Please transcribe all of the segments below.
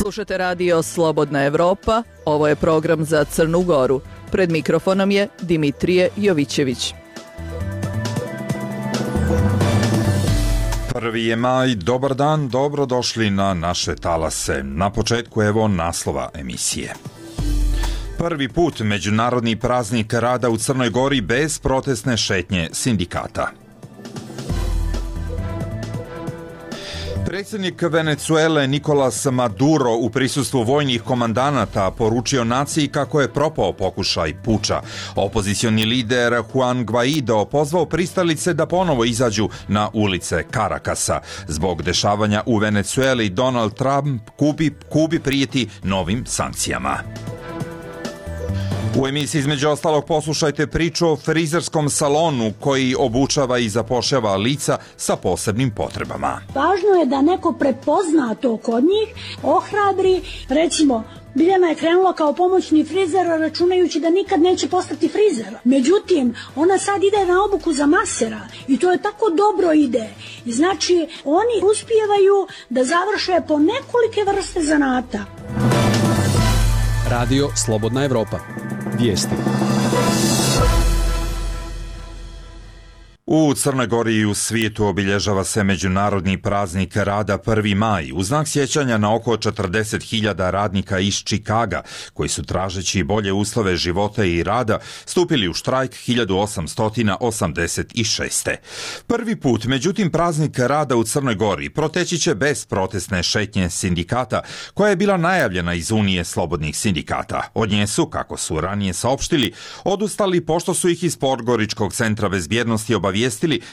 Slušate radio Slobodna Evropa, ovo je program za Crnu Goru. Pred mikrofonom je Dimitrije Jovićević. 1. je maj, dobar dan, dobrodošli na naše talase. Na početku evo naslova emisije. Prvi put Međunarodni praznik rada u Crnoj Gori bez protestne šetnje sindikata. Predsjednik Venecuele Nicolas Maduro u prisustvu vojnih komandanata poručio naciji kako je propao pokušaj puča. Opozicioni lider Juan Guaido pozvao pristalice da ponovo izađu na ulice Karakasa. Zbog dešavanja u Venecueli Donald Trump Kubi prijeti novim sankcijama. U emisiji između ostalog poslušajte priču o frizerskom salonu koji obučava i zapošljava lica sa posebnim potrebama. Važno je da neko prepozna to kod njih, ohrabri, recimo Biljana je krenula kao pomoćni frizer računajući da nikad neće postati frizer. Međutim, ona sad ide na obuku za masera i to je tako dobro ide. I znači, oni uspijevaju da završe po nekolike vrste zanata. Radio Slobodna Evropa. Vijesti. U Crnoj Gori i u svijetu obilježava se Međunarodni praznik rada 1. maj u znak sjećanja na oko 40.000 radnika iz Čikaga koji su tražeći bolje uslove života i rada stupili u štrajk 1886. Prvi put, međutim, praznik rada u Crnoj Gori proteći će bez protestne šetnje sindikata koja je bila najavljena iz Unije slobodnih sindikata. Od nje su, kako su ranije saopštili, odustali pošto su ih iz Podgoričkog centra bezbjednosti obavijestili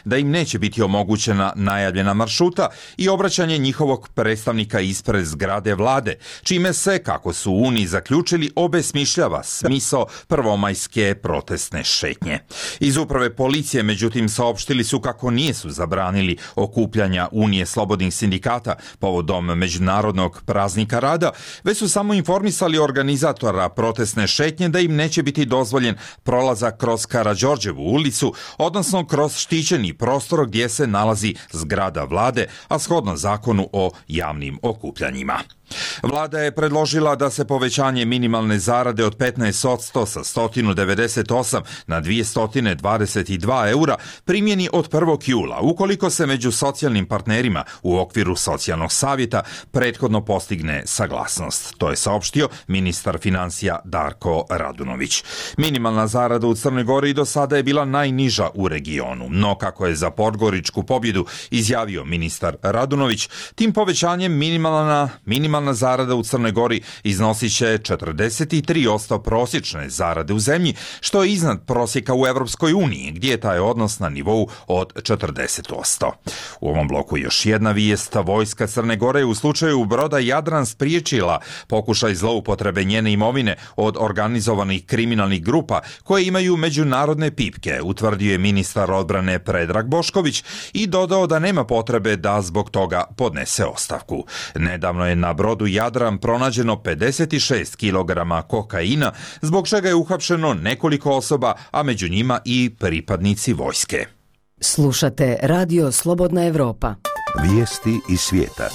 da im neće biti omogućena najavljena maršruta i obraćanje njihovog predstavnika ispred zgrade vlade, čime se, kako su u Uniji zaključili, obesmišljava smisao prvomajske protestne šetnje. Iz uprave policije, međutim, saopštili su kako nisu zabranili okupljanja Unije slobodnih sindikata povodom Međunarodnog praznika rada, već su samo informisali organizatora protestne šetnje da im neće biti dozvoljen prolazak kroz Karađorđevu ulicu, odnosno kroz štićeni prostor gdje se nalazi zgrada vlade, a shodno zakonu o javnim okupljanjima. Vlada je predložila da se povećanje minimalne zarade od 15% sa 198 na 222 eura primjeni od 1. jula, ukoliko se među socijalnim partnerima u okviru socijalnog savjeta prethodno postigne saglasnost. To je saopštio ministar financija Darko Radunović. Minimalna zarada u Crnoj Gori do sada je bila najniža u regionu, no kako je za Podgoričku pobjedu izjavio ministar Radunović, tim povećanjem minimalna zarada u Crnoj Gori iznosit će 43% prosječne zarade u zemlji, što je iznad prosjeka u Evropskoj uniji, gdje je taj odnos na nivou od 40%. U ovom bloku još jedna vijest. Vojska Crne Gore u slučaju broda Jadran spriječila pokušaj zloupotrebe njene imovine od organizovanih kriminalnih grupa koje imaju međunarodne pipke, utvrdio je ministar odbrane Predrag Bošković i dodao da nema potrebe da zbog toga podnese ostavku. Nedavno je na brodu Jadran pronađeno 56 kg kokaina, zbog čega je uhapšeno nekoliko osoba, a među njima i pripadnici vojske. Slušate radio Slobodna Evropa. Vijesti iz svijeta.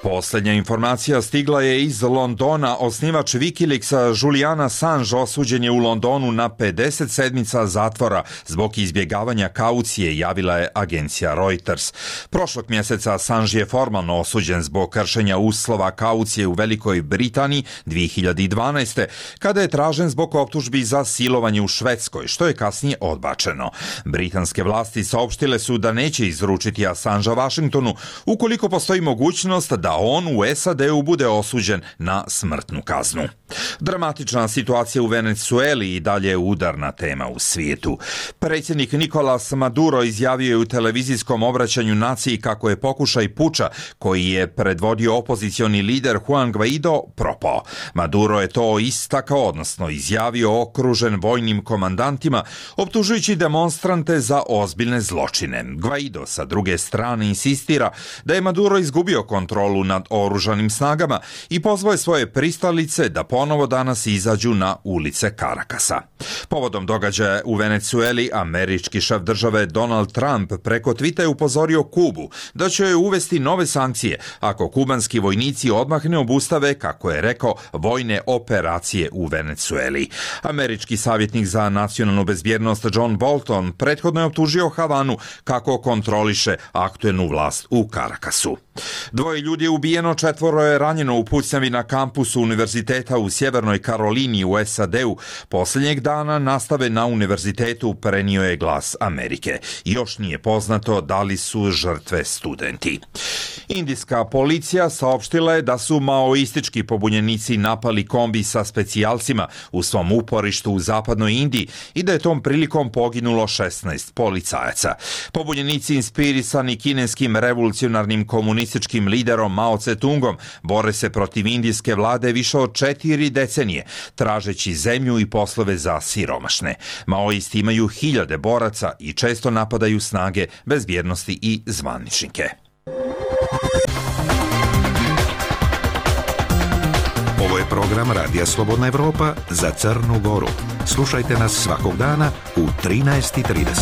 Posljednja informacija stigla je iz Londona. Osnivač Wikileaksa Julian Assange osuđen je u Londonu na 50 sedmica zatvora zbog izbjegavanja kaucije, javila je agencija Reuters. Prošlog mjeseca Assange je formalno osuđen zbog kršenja uslova kaucije u Velikoj Britaniji 2012. kada je tražen zbog optužbi za silovanje u Švedskoj, što je kasnije odbačeno. Britanske vlasti saopštile su da neće izručiti Assangea Washingtonu ukoliko postoji mogućnost da on u SAD-u bude osuđen na smrtnu kaznu. Dramatična situacija u Venecueli i dalje je udarna tema u svijetu. Predsjednik Nicolas Maduro izjavio je u televizijskom obraćanju naciji kako je pokušaj puča koji je predvodio opozicioni lider Juan Guaido propao. Maduro je to istakao, odnosno izjavio okružen vojnim komandantima, optužujući demonstrante za ozbiljne zločine. Guaido sa druge strane insistira da je Maduro izgubio kontrolu kontrolu nad oružanim snagama i pozvao je svoje pristalice da ponovo danas izađu na ulice Karakasa. Povodom događaja u Venecueli, američki šef države Donald Trump preko Twita je upozorio Kubu da će joj uvesti nove sankcije ako kubanski vojnici odmah ne obustave, kako je rekao, vojne operacije u Venecueli. Američki savjetnik za nacionalnu bezbjednost John Bolton prethodno je optužio Havanu kako kontroliše aktuelnu vlast u Karakasu. 2 ljudi je ubijeno, 4 je ranjeno u pucnjavi na kampusu univerziteta u Sjevernoj Karolini u SAD-u. Posljednjeg dana nastave na univerzitetu prenio je Glas Amerike. Još nije poznato da li su žrtve studenti. Indijska policija saopštila je da su maoistički pobunjenici napali kombi sa specijalcima u svom uporištu u zapadnoj Indiji i da je tom prilikom poginulo 16 policajaca. Pobunjenici inspirisani kineskim revolucionarnim komunističkim liderom Mao Tse-tungom bore se protiv indijske vlade više od 4 decenije, tražeći zemlju i poslove za siromašne. Maoisti imaju 1000 boraca i često napadaju snage bezbjednosti i zvaničnike. Ovo je program Radija Slobodna Evropa za Crnu Goru. Slušajte nas svakog dana u 13:30.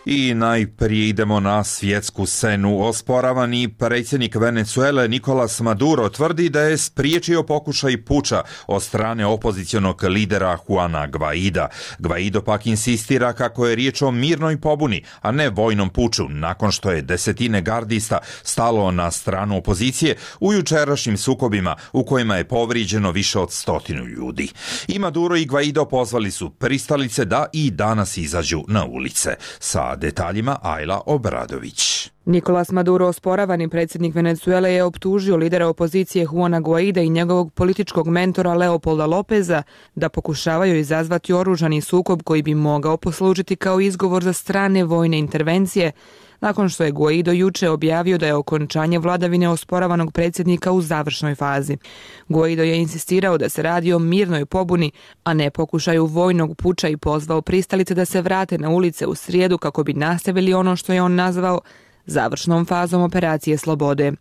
I najprije idemo na svjetsku scenu. Osporavani predsjednik Venecuele Nicolas Maduro tvrdi da je spriječio pokušaj puča od strane opozicionog lidera Juana Guaida. Guaido pak insistira kako je riječ o mirnoj pobuni, a ne vojnom puču, nakon što je desetine gardista stalo na stranu opozicije u jučerašnjim sukobima u kojima je povrijeđeno više od 100 ljudi. I Maduro i Guaido pozvali su pristalice da i danas izađu na ulice. Sa detaljima Ajla Obradović. Nicolas Maduro, osporavani predsjednik Venecuele, je optužio lidera opozicije Juana Guaida i njegovog političkog mentora Leopolda Lopeza da pokušavaju izazvati oružani sukob koji bi mogao poslužiti kao izgovor za strane vojne intervencije, nakon što je Guaido juče objavio da je okončanje vladavine osporavanog predsjednika u završnoj fazi. Guaido je insistirao da se radi o mirnoj pobuni, a ne pokušaju vojnog puča i pozvao pristalice da se vrate na ulice u srijedu kako bi nastavili ono što je on nazvao završnom fazom operacije slobode.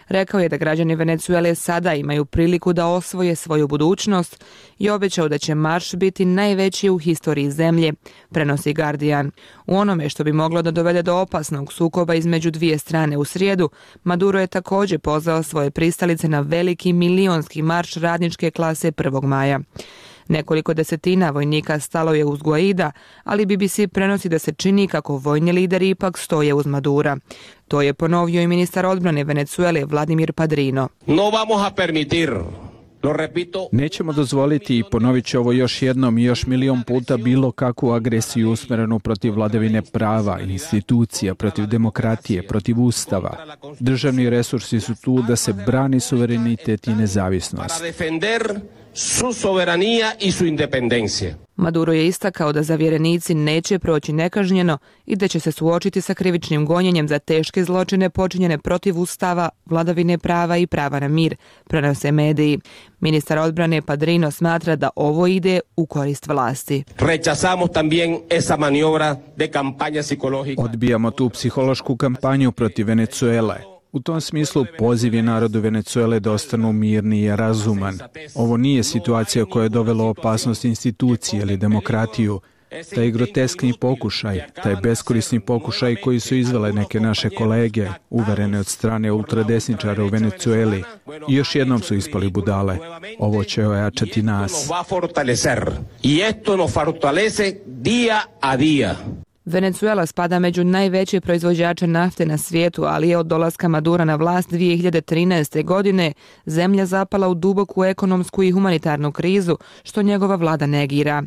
Rekao je da građani Venecuele sada imaju priliku da osvoje svoju budućnost i obećao da će marš biti najveći u historiji zemlje, prenosi Guardian. U onome što bi moglo da dovede do opasnog sukoba između dvije strane u srijedu, Maduro je također pozvao svoje pristalice na veliki milionski marš radničke klase 1. maja. Nekoliko desetina vojnika stalo je uz Guaida, ali BBC prenosi da se čini kako vojni lideri ipak stoje uz Madura. To je ponovio i ministar odbrane Venecuele Vladimir Padrino. No vamos a permitir. Nećemo dozvoliti, i ponovit ću ovo još jednom i još milion puta, bilo kakvu agresiju usmjerenu protiv vladavine prava, institucija, protiv demokratije, protiv ustava. Državni resursi su tu da se brani suverenitet i nezavisnost. Su soberanija i su independencija. Maduro je istakao da zavjerenici neće proći nekažnjeno i da će se suočiti sa krivičnim gonjenjem za teške zločine počinjene protiv ustava, vladavine prava i prava na mir, prenose mediji. Ministar odbrane Padrino smatra da ovo ide u korist vlasti. Rechazamos también esa maniobra de campaña psicológica. Odbijamo tu psihološku kampanju protiv Venecuele. U tom smislu poziv je narodu Venecuele da ostanu mirni i razuman. Ovo nije situacija koja je dovela opasnost institucije ili demokratiju. Taj groteskni pokušaj, taj beskorisni pokušaj koji su izvele neke naše kolege, uverene od strane ultradesničara u Venecueli, i još jednom su ispali budale. Ovo će ojačati nas. Venecuela spada među najveće proizvođače nafte na svijetu, ali je od dolaska Madura na vlast 2013. godine zemlja zapala u duboku ekonomsku i humanitarnu krizu, što njegova vlada negira.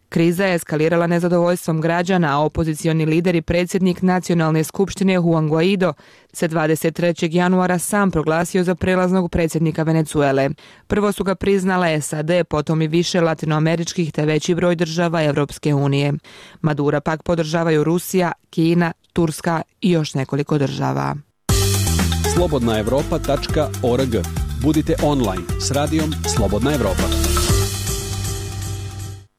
Kriza je eskalirala nezadovoljstvom građana, a opozicioni lider i predsjednik Nacionalne skupštine Juan Guaido se 23. januara sam proglasio za prelaznog predsjednika Venecuele. Prvo su ga priznale SAD, potom i više latinoameričkih te veći broj država Evropske unije. Madura pak podržavaju Rusija, Kina, Turska i još nekoliko država. slobodnaevropa.org. Budite online s radijom Slobodna Evropa.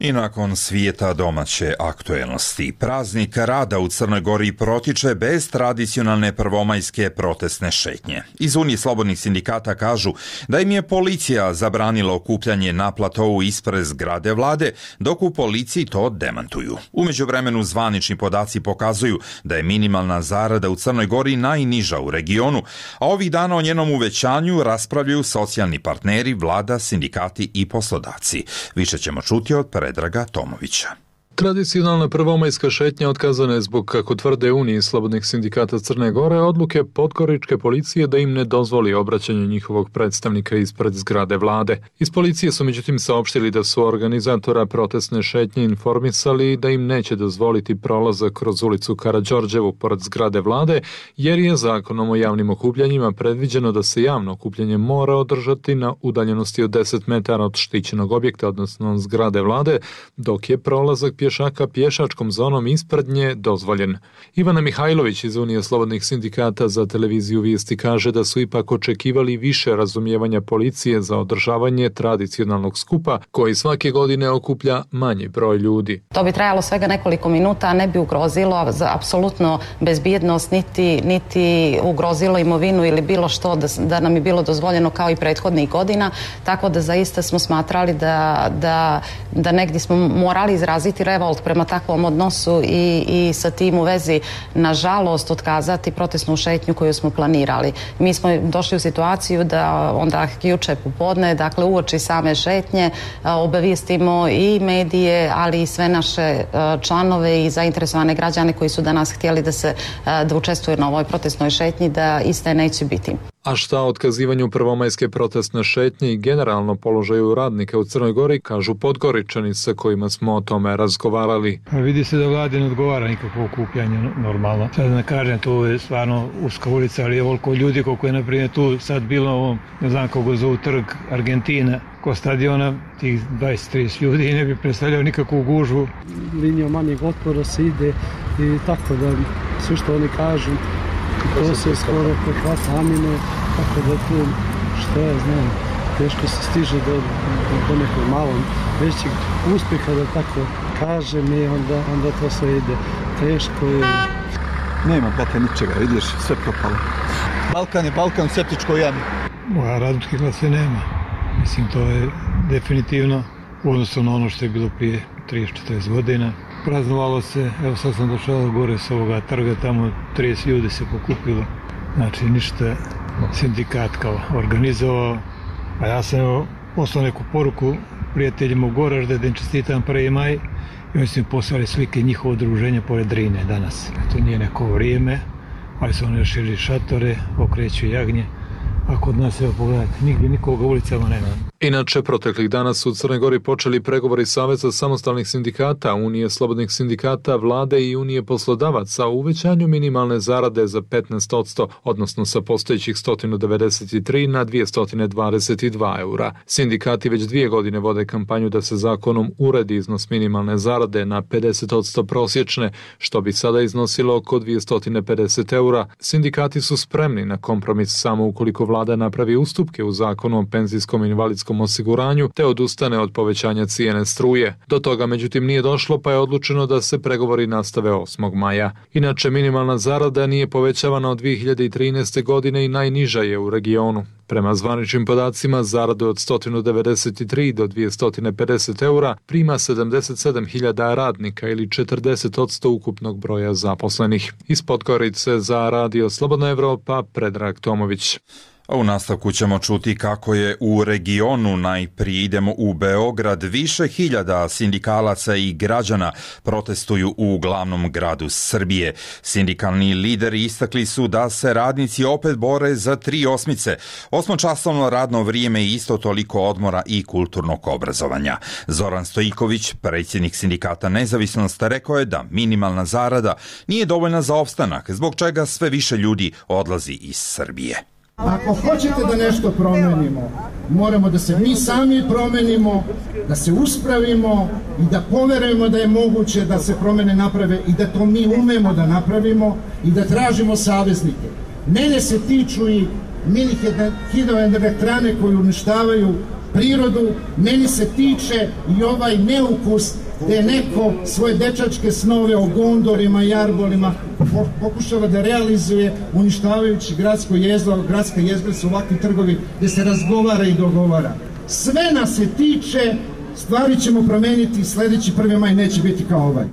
I nakon svijeta domaće aktuelnosti, praznik rada u Crnoj Gori protiče bez tradicionalne prvomajske protestne šetnje. Iz Unije slobodnih sindikata kažu da im je policija zabranila okupljanje na platovu ispred zgrade vlade, dok u policiji to demantuju. U međuvremenu zvanični podaci pokazuju da je minimalna zarada u Crnoj Gori najniža u regionu, a ovih dana o njenom uvećanju raspravljaju socijalni partneri, vlada, sindikati i poslodavci. Više ćemo čuti od Predraga Tomovića. Tradicionalna prvomajska šetnja otkazana je zbog, kako tvrde Uniji slobodnih sindikata Crne Gore, odluke podgoričke policije da im ne dozvoli obraćanje njihovog predstavnika ispred zgrade vlade. Iz policije su međutim saopštili da su organizatora protestne šetnje informisali da im neće dozvoliti prolazak kroz ulicu Karađorđevu pored zgrade vlade, jer je zakonom o javnim okupljanjima predviđeno da se javno okupljanje mora održati na udaljenosti od 10 metara od štićenog objekta, odnosno zgrade vlade, dok je prolazak pješaka pješačkom zonom ispred nje dozvoljen. Ivana Mihajlović iz Unije slobodnih sindikata za televiziju Vijesti kaže da su ipak očekivali više razumijevanja policije za održavanje tradicionalnog skupa koji svake godine okuplja manji broj ljudi. To bi trajalo svega nekoliko minuta, a ne bi ugrozilo apsolutno bezbjednost, niti ugrozilo imovinu ili bilo što da nam je bilo dozvoljeno kao i prethodnih godina, tako da zaista smo smatrali da negdje smo morali izraziti revolt prema takvom odnosu i sa tim u vezi, nažalost, otkazati protestnu šetnju koju smo planirali. Mi smo došli u situaciju da onda juče popodne, dakle uoči same šetnje, obavijestimo i medije, ali i sve naše članove i zainteresovane građane koji su danas htjeli da učestvuju na ovoj protestnoj šetnji, da iste neće biti. A šta o otkazivanju prvomajske protestne šetnje i generalno položaju radnika u Crnoj Gori, kažu Podgoričani sa kojima smo o tome razgovarali. Vidi se da vlade ne odgovara nikakvo okupljanje normalno. Sad ne kažem, tu je stvarno uska ulica, ali je ovoliko ljudi koliko je naprimjer tu sad bilo, ne znam kako zovu trg Argentina, ko stadiona, tih 20-30 ljudi i ne bi predstavljao nikakvu gužvu. Linijom manjeg otpora se ide i tako da sve što oni kažu, to se skoro prehvata amine, tako da tu, što ja znam, teško se stiže do nekog malo većeg uspjeha, da tako kažem, i onda to sve ide. Teško je. Nema, brate, ničega, vidiš, sve propalo. Balkan je Balkan, septičko jami. Moja radničke klase nema. Mislim, to je definitivno u odnosu na ono što je bilo prije 30-40 godina. Praznovalo se, evo sad sam došao gore s ovoga trga, tamo 30 ljudi se pokupilo. Znači ništa sindikat kao organizovao. A ja sam poslao neku poruku prijateljima u Goražde da im čestitam 1. maj i oni su mi poslali slike njihovo udruženja pored Drine danas. To nije neko vrijeme, ali su oni širi šatore, okreću jagnje. A kod nas, evo pogledajte, nigdje nikoga ulicama nema. Inače, proteklih dana su u Crnoj Gori počeli pregovori Saveza samostalnih sindikata, Unije slobodnih sindikata, vlade i Unije poslodavaca o uvećanju minimalne zarade za 15%, odnosno sa postojećih 193 na 222 eura. Sindikati već 2 godine vode kampanju da se zakonom uredi iznos minimalne zarade na 50% prosječne, što bi sada iznosilo oko 250 eura. Sindikati su spremni na kompromis samo ukoliko vlada napravi ustupke u zakonu o penzijskom i invalidskom osiguranju te odustane od povećanja cijene struje. Do toga međutim nije došlo, pa je odlučeno da se pregovori nastave 8. maja. Inače, minimalna zarada nije povećavana od 2013. godine i najniža je u regionu. Prema zvaničnim podacima, zaradu od 193 do 250 eura prima 77.000 radnika ili 40% ukupnog broja zaposlenih. Iz Podgorice za Radio Slobodna Evropa, Predrag Tomović. A u nastavku ćemo čuti kako je u regionu, najprije idemo u Beograd, više hiljada sindikalaca i građana protestuju u glavnom gradu Srbije. Sindikalni lideri istakli su da se radnici opet bore za 3 osmice, 8-časovno radno vrijeme i isto toliko odmora i kulturnog obrazovanja. Zoran Stojiković, predsjednik sindikata Nezavisnost, rekao je da minimalna zarada nije dovoljna za opstanak, zbog čega sve više ljudi odlazi iz Srbije. Ako hoćete da nešto promenimo, moramo da se mi sami promenimo, da se uspravimo i da poverujemo da je moguće da se promene naprave i da to mi umemo da napravimo i da tražimo saveznike. Mene se tiču i mini hidroelektrane koje uništavaju prirodu, meni se tiče i ovaj neukus da je neko svoje dečačke snove o gondorima i arbolima pokušava da realizuje uništavajući gradsko jezgro. Gradska jezgra su ovakvi trgovi gdje se razgovara i dogovara. Sve nas se tiče, stvari ćemo promeniti, sljedeći 1. maj neće biti kao ovaj.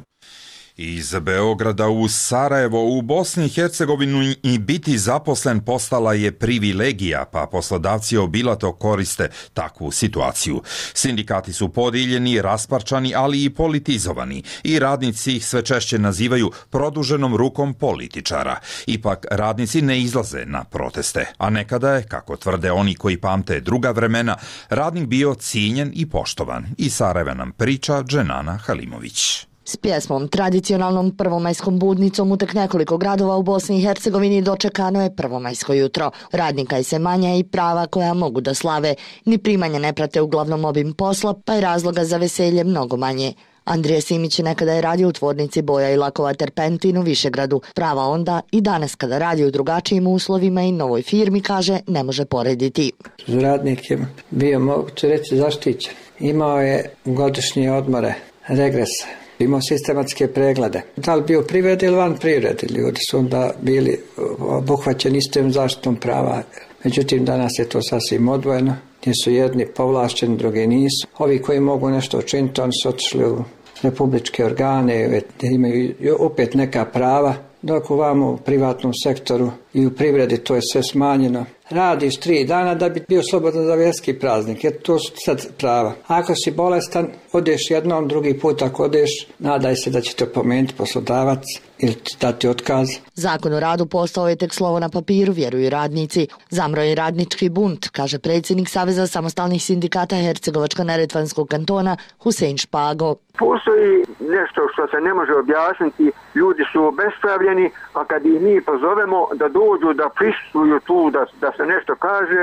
Iz Beograda u Sarajevo u Bosni i Hercegovinu i biti zaposlen postala je privilegija, pa poslodavci obilato koriste takvu situaciju. Sindikati su podijeljeni, rasparčani, ali i politizovani i radnici ih sve češće nazivaju produženom rukom političara. Ipak radnici ne izlaze na proteste, a nekada je, kako tvrde oni koji pamte druga vremena, radnik bio cijenjen i poštovan. Iz Sarajeva nam priča Dženana Halimović. S pjesmom, tradicionalnom prvomajskom budnicom u tek nekoliko gradova u Bosni i Hercegovini dočekano je prvomajsko jutro. Radnika je se manja i prava koja mogu da slave. Ni primanja ne prate uglavnom obim posla, pa je razloga za veselje mnogo manje. Andrija Simić nekada je radio u tvornici boja i lakova Terpentin u Višegradu. Prava onda i danas kada radi u drugačijim uslovima i novoj firmi, kaže, ne može porediti. Radnik je bio, moguće reći, zaštićen. Imao je godišnje odmore, regrese. Imao sistematske preglede. Da li bio u privredi ili van privredi, ljudi su onda bili obuhvaćeni istom zaštitom prava. Međutim, danas je to sasvim odvojeno, gdje su jedni povlašćeni, drugi nisu. Ovi koji mogu nešto učiniti, oni su otišli u republičke organe, gdje imaju opet neka prava, dok u privatnom sektoru i u privredi to je sve smanjeno. Radiš 3 dana da bi bio slobodan za vjerski praznik, jer to su sad prava. Ako si bolestan, odeš jednom, drugi put ako odeš, nadaj se da će te pomenuti poslodavac ili dati otkaz. Zakon o radu postao je tek slovo na papiru, vjeruju radnici. Zamro je radnički bunt, kaže predsjednik Saveza samostalnih sindikata Hercegovačko-neretvanskog kantona Husein Špago. Postoji nešto što se ne može objasniti, ljudi su obespravljeni, a kad ih mi pozovemo da dođu, da prisustvuju tu, da se nešto kaže,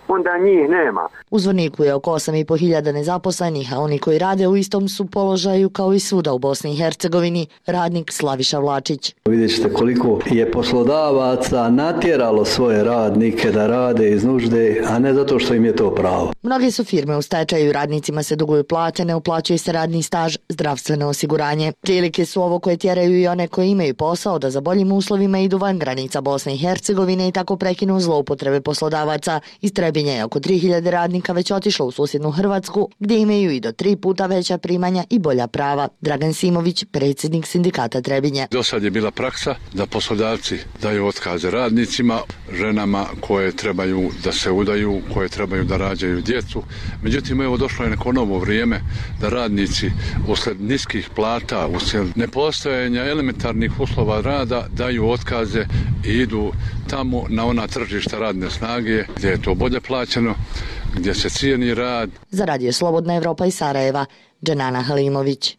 onda njih nema. U Zvorniku je oko 8.500 nezaposlenih, a oni koji rade u istom su položaju kao i svuda u Bosni i Hercegovini, radnik Slaviša Vlačić. Vidjet ćete koliko je poslodavaca natjeralo svoje radnike da rade iz nužde, a ne zato što im je to pravo. Mnoge su firme u stečaju, radnicima se duguju plate, ne uplaćuje se radni staž, zdravstveno osiguranje. Prilike su ovo koje tjeraju i one koji imaju posao da za boljim uslovima idu van granica Bosne i Hercegovine i tako prekinu zloupotrebe poslodavaca. Iz Trebinja je oko 3000 radnika već otišlo u susjednu Hrvatsku, gdje imaju i do 3 puta veća primanja i bolja prava. Dragan Simović, predsjednik sindikata Trebinje. Do sad je bila praksa da poslodavci daju otkaze radnicima, ženama koje trebaju da se udaju, koje trebaju da rađaju djecu. Međutim, evo došlo je neko novo vrijeme da radnici usled niskih plata, uslijed nepostojanja elementarnih uslova rada daju otkaze i idu tamo na ona tržišta radne snage gdje je to bolje plaćeno, gdje se cijeni rad. Za Radio Slobodna Evropa iz Sarajeva, Dženana Halimović.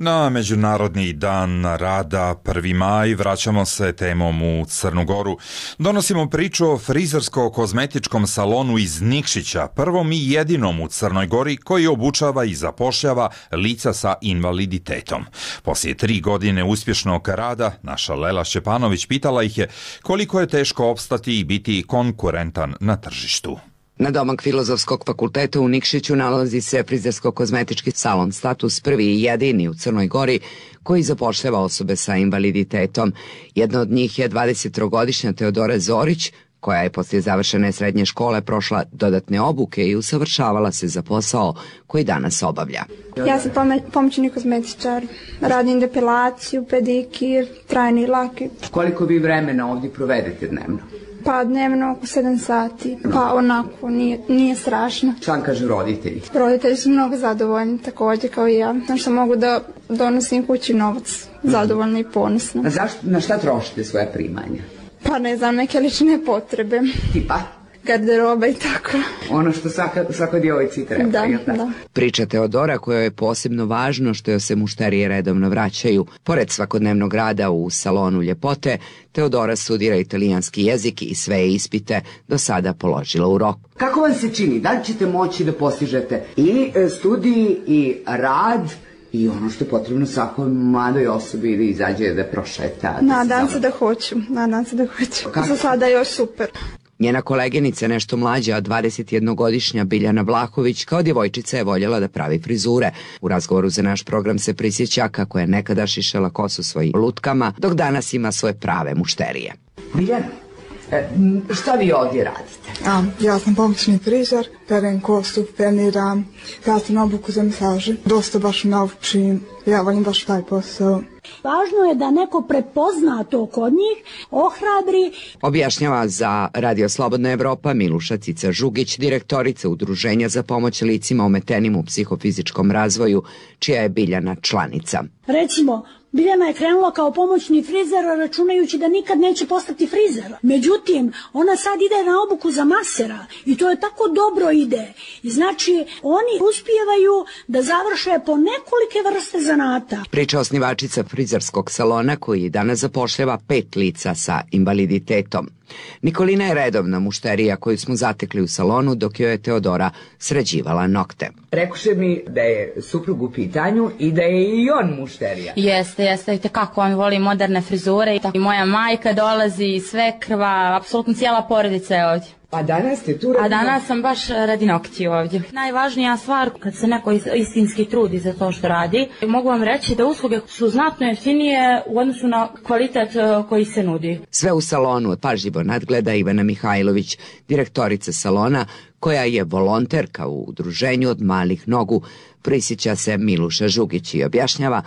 Na Međunarodni dan rada 1. maj vraćamo se temom u Crnu Goru. Donosimo priču o frizersko-kozmetičkom salonu iz Nikšića, prvom i jedinom u Crnoj Gori koji obučava i zapošljava lica sa invaliditetom. Poslije 3 godine uspješnog rada, naša Lela Šćepanović pitala ih je koliko je teško opstati i biti konkurentan na tržištu. Na domak Filozofskog fakulteta u Nikšiću nalazi se frizersko-kozmetički salon Status, prvi i jedini u Crnoj Gori koji zapošljava osobe sa invaliditetom. Jedna od njih je 23-godišnja Teodora Zorić, koja je poslije završene srednje škole prošla dodatne obuke i usavršavala se za posao koji danas obavlja. Ja sam pomoćni kozmetičar, radim depilaciju, pedikir, trajni laki. Koliko vi vremena ovdje provedete dnevno? Pa dnevno oko 7 sati, pa onako nije strašno. Šta kažu roditelji? Roditelji su mnogo zadovoljni također kao i ja, što mogu da donosim kući novac, zadovoljni i ponosno. Na šta trošite svoje primanja? Pa ne znam, neke lične potrebe. Tipa? Garderoba i tako. Ono što svakoj djevojci treba. Da. Priča Teodora kojoj je posebno važno što joj se mušterije redovno vraćaju. Pored svakodnevnog rada u salonu ljepote, Teodora studira italijanski jezik i sve ispite do sada položila u roku. Kako vam se čini? Da li ćete moći da postižete i studij i rad i ono što je potrebno svakoj mladoj osobi da izađe da prošeta? Nadam se da hoću. Za sada je još super. Njena koleginica, nešto mlađa, 21-godišnja Biljana Vlahović, kao djevojčica je voljela da pravi frizure. U razgovoru za naš program se prisjeća kako je nekada šišala kosu svojim lutkama, dok danas ima svoje prave mušterije. Biljana, šta vi ovdje radite? Ja sam pomoćni frizer, perem kosu, peniram, ja sam na obuku za masaže. Dosta baš naučim, ja volim baš taj posao. Važno je da neko prepozna to kod njih, ohrabri. Objašnjava za Radio Slobodna Evropa Miluša Cica Žugić, direktorica Udruženja za pomoć licima ometenim u psihofizičkom razvoju, čija je Biljana članica. Recimo, Biljana je krenula kao pomoćni frizer računajući da nikad neće postati frizer. Međutim, ona sad ide na obuku za masera i to je tako dobro ide. I znači, oni uspijevaju da završe po nekolike vrste zanata. Priča osnivačica frizerskog salona koji danas zapošljava 5 lica sa invaliditetom. Nikolina je redovna mušterija koju smo zatekli u salonu dok joj je Teodora sređivala nokte. Rekuše mi da je suprug u pitanju i da je i on mušterija. Jeste, kako on voli moderne frizure. I moja majka dolazi, svekrva, apsolutno cijela porodica je ovdje. A danas ste tu radi? A danas sam baš radi nokti ovdje. Najvažnija stvar kad se neko istinski trudi za to što radi, mogu vam reći da usluge su znatno jeftinije u odnosu na kvalitet koji se nudi. Sve u salonu pažljivo nadgleda Ivana Mihajlović, direktorica salona, koja je volonterka u udruženju Od malih nogu, prisjeća se Miluša Žugić i objašnjava.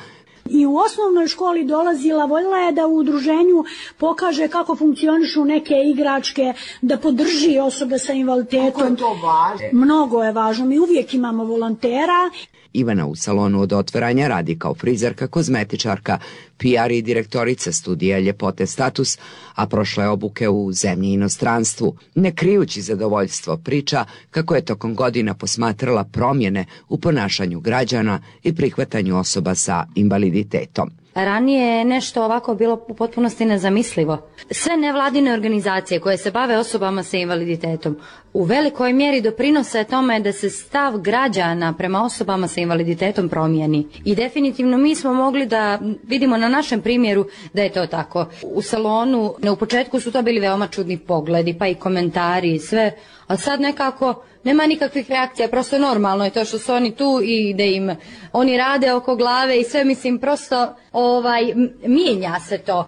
I u osnovnoj školi dolazila, voljela je da u udruženju pokaže kako funkcionišu neke igračke, da podrži osobe sa invaliditetom. Kako je to važno? Mnogo je važno, mi uvijek imamo volontera. Ivana u salonu od otvaranja radi kao frizerka, kozmetičarka, PR i direktorica studija Ljepote Status, a prošle obuke u zemlji i inostranstvu. Ne krijući zadovoljstvo, priča kako je tokom godina posmatrala promjene u ponašanju građana i prihvatanju osoba sa invaliditetom. Ranije je nešto ovako bilo u potpunosti nezamislivo. Sve nevladine organizacije koje se bave osobama sa invaliditetom u velikoj mjeri doprinose tome da se stav građana prema osobama sa invaliditetom promijeni. I definitivno mi smo mogli da vidimo na našem primjeru da je to tako. U salonu u početku su to bili veoma čudni pogledi, pa i komentari i sve, a sad nekako nema nikakvih reakcija, prosto normalno je to što su oni tu i da im oni rade oko glave i sve, mislim, prosto mijenja se to.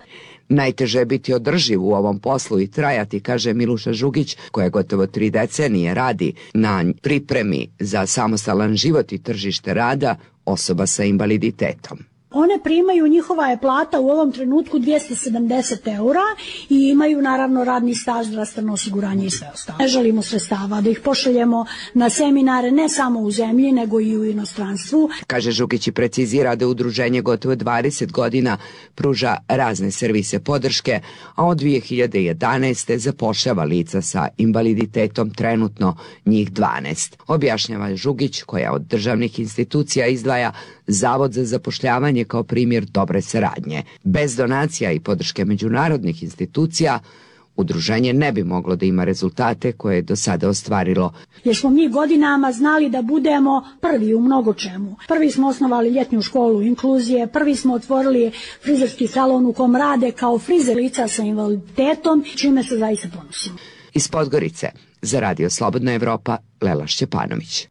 Najteže je biti održiv u ovom poslu i trajati, kaže Miluša Žugić, koja gotovo 3 decenije radi na pripremi za samostalan život i tržište rada osoba sa invaliditetom. One primaju, njihova je plata u ovom trenutku 270 eura i imaju naravno radni staž, zdravstveno osiguranje i sve ostalo. Ne želimo sredstava da ih pošaljemo na seminare ne samo u zemlji nego i u inostranstvu. Kaže Žugić i precizira da udruženje gotovo 20 godina pruža razne servise podrške, a od 2011. zapošljava lica sa invaliditetom, trenutno njih 12. Objašnjava Žugić, koja od državnih institucija izdvaja Zavod za zapošljavanje kao primjer dobre saradnje. Bez donacija i podrške međunarodnih institucija udruženje ne bi moglo da ima rezultate koje je do sada ostvarilo. Jer smo mi godinama znali da budemo prvi u mnogo čemu. Prvi smo osnovali ljetnju školu inkluzije, prvi smo otvorili frizerski salon u kom rade kao frizer lica sa invaliditetom, čime se zaista ponosimo. Iz Podgorice za Radio Slobodna Evropa, Lela Šćepanović.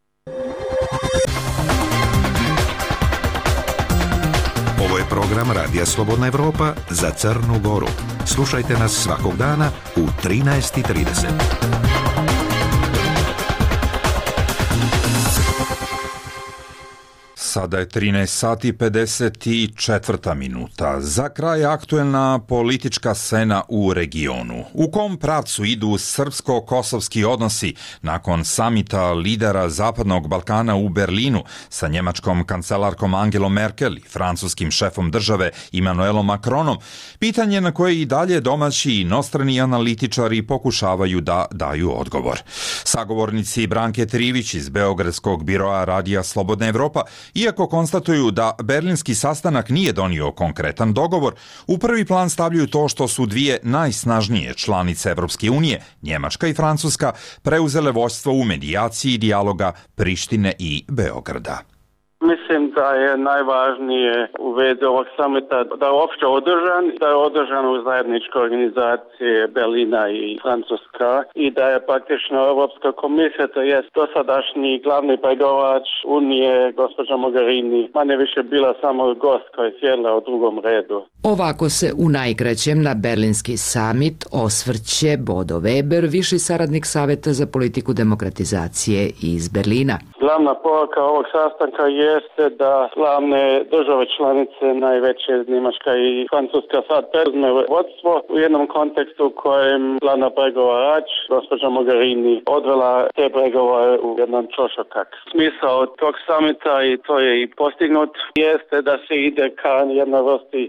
Ovo je program Radija Slobodna Evropa za Crnu Goru. Slušajte nas svakog dana u 13:30. Sada je 13 sati i 54 minuta. Za kraj aktuelna politička scena u regionu. U kom pravcu idu srpsko-kosovski odnosi nakon samita lidera Zapadnog Balkana u Berlinu sa njemačkom kancelarkom Angelom Merkel i francuskim šefom države Emmanuelom Macronom? Pitanje na koje i dalje domaći i inostrani analitičari pokušavaju da daju odgovor. Sagovornici Branke Trivić iz Beogradskog biroa Radija Slobodna Evropa, iako konstatuju da berlinski sastanak nije donio konkretan dogovor, u prvi plan stavljaju to što su dvije najsnažnije članice Evropske unije, Njemačka i Francuska, preuzele vođstvo u medijaciji dijaloga Prištine i Beograda. Mislim da je najvažnije u vezi ovog samita da je uopće održan, da je održan u zajedničkoj organizaciji Berlina i Francuska i da je praktično Europska komisija, to jest dosadašnji glavni pregovarač Unije, gospođa Mogherini, manje više bila samo gost koja je sjedla u drugom redu. Ovako se u najkraćem na berlinski samit osvrće Bodo Weber, viši saradnik Saveta za politiku demokratizacije iz Berlina. Glavna poruka ovog sastanka jeste da glavne države članice, najveće Njemačka i Francuska, sad preuzme vodstvo u jednom kontekstu u kojem glavna pregovarač, gospođa Mogherini, odvela te pregovore u jedan čošokak. Smisao tog samita, i to je i postignut, jeste da se ide ka jednoj vrsti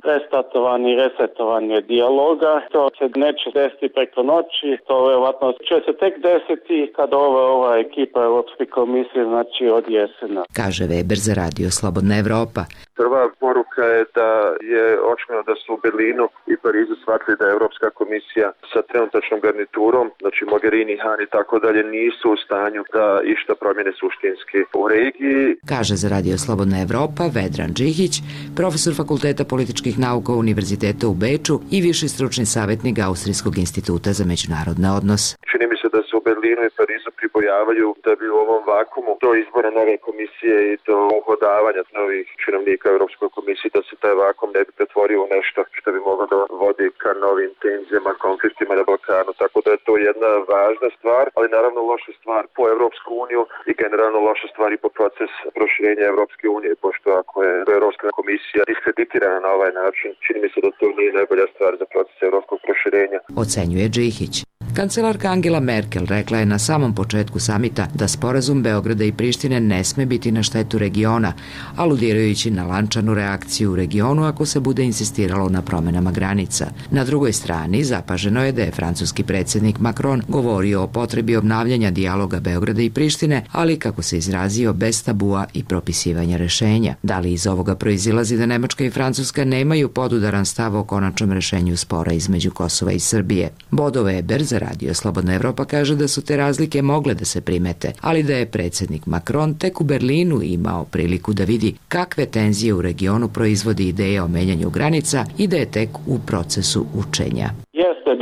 resetovanje dijaloga. To se neće desiti preko noći, to vjerovatno će se tek desiti kad ova ekipa Europske komisije, znači od jesena. Kaže Weber za Radio Slobodna Evropa. Prva poruka je da je očigledno da su u Berlinu i Parizu shvatili da je Europska komisija sa trenutačnom garniturom, znači Mogherini, Han i tako dalje, nisu u stanju da išta promjene suštinski u regiji. Kaže za Radio Slobodna Evropa Vedran Džihić, profesor Fakulteta političkih nauka Univerziteta u Beču i viši stručni savjetnik Austrijskog instituta za međunarodne odnose. Čini mi se da se u Berlinu i Parizu pribojavaju da bi u ovom vakumu do izbora nove komisije i do uhodavanja novih činovnika Europskoj komisiji da se taj vakum ne bi pretvorio u nešto što bi moglo da vodi ka novim tenzijama, konfliktima na Balkanu. Tako da je to jedna važna stvar, ali naravno loša stvar po Europsku uniju i generalno loša stvar i po proces proširenja Europske unije, pošto ako je Europska komisija diskreditirana na ovaj način, čini mi se da to nije najbolja stvar za proces europskog proširenja. Ocenjuje Džihić. Kancelarka Angela Merkel rekla je na samom početku samita da sporazum Beograda i Prištine ne sme biti na štetu regiona, aludirajući na lančanu reakciju u regionu ako se bude insistiralo na promenama granica. Na drugoj strani zapaženo je da je francuski predsjednik Macron govorio o potrebi obnavljanja dijaloga Beograda i Prištine, ali kako se izrazio bez tabua i propisivanja rešenja. Da li iz ovoga proizilazi da Nemačka i Francuska nemaju podudaran stav o konačnom rešenju spora između Kosova i Srbije? Bodo Weber za Radio Slobodna Evropa kaže da su te razlike mogle da se primete, ali da je predsjednik Macron tek u Berlinu imao priliku da vidi kakve tenzije u regionu proizvodi ideja o menjanju granica i da je tek u procesu učenja.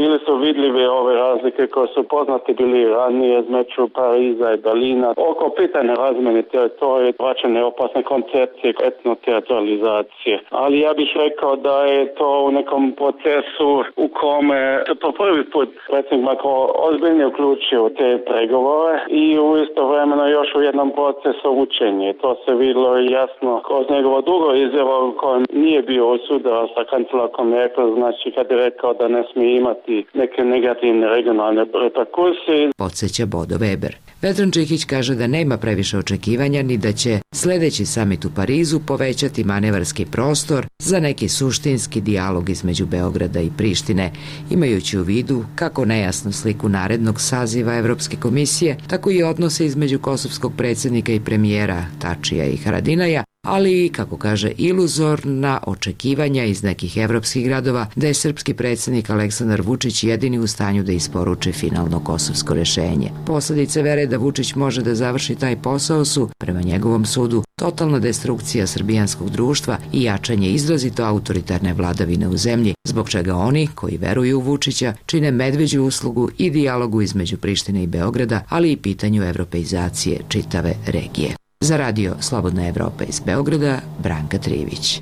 Bili su vidljive ove razlike koje su poznate bili ranije između Pariza i Berlina. Oko pitanja razmjene teritorije, vraćanje opasne koncepcije etnoteritorializacije. Ali ja bih rekao da je to u nekom procesu u kome se po prvi put predsjednik Macron ozbiljno uključio u te pregovore i u istovremeno još u jednom procesu učenja. To se vidjelo jasno kroz njegovo drugo izjavo u kojem nije bio usudao sa kancelarkom Merkel, znači kad je rekao da ne smije imati neke negativne regionalne reperkusije. Podsjeća Bodo Weber. Vedran Džihić kaže da nema previše očekivanja ni da će sljedeći samit u Parizu povećati manevarski prostor za neki suštinski dijalog između Beograda i Prištine, imajući u vidu kako nejasnu sliku narednog saziva Evropske komisije, tako i odnose između kosovskog predsjednika i premijera Tačija i Haradinaja, ali i, kako kaže, iluzorna očekivanja iz nekih evropskih gradova da je srpski predsjednik Aleksandar Vučić jedini u stanju da isporuči finalno kosovsko rješenje. Posljedice vere da Vučić može da završi taj posao su, prema njegovom sudu, totalna destrukcija srbijanskog društva i jačanje izrazito autoritarne vladavine u zemlji, zbog čega oni koji veruju u Vučića čine medveđu uslugu i dijalogu između Prištine i Beograda, ali i pitanju evropeizacije čitave regije. Za Radio Slobodna Evropa iz Beograda, Branka Trivić.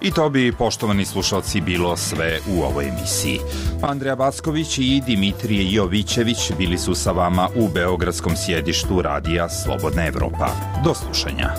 I to bi, poštovani slušalci, bilo sve u ovoj emisiji. Andreja Backović i Dimitrije Jovićević bili su sa vama u beogradskom sjedištu Radija Slobodna Evropa. Do slušanja.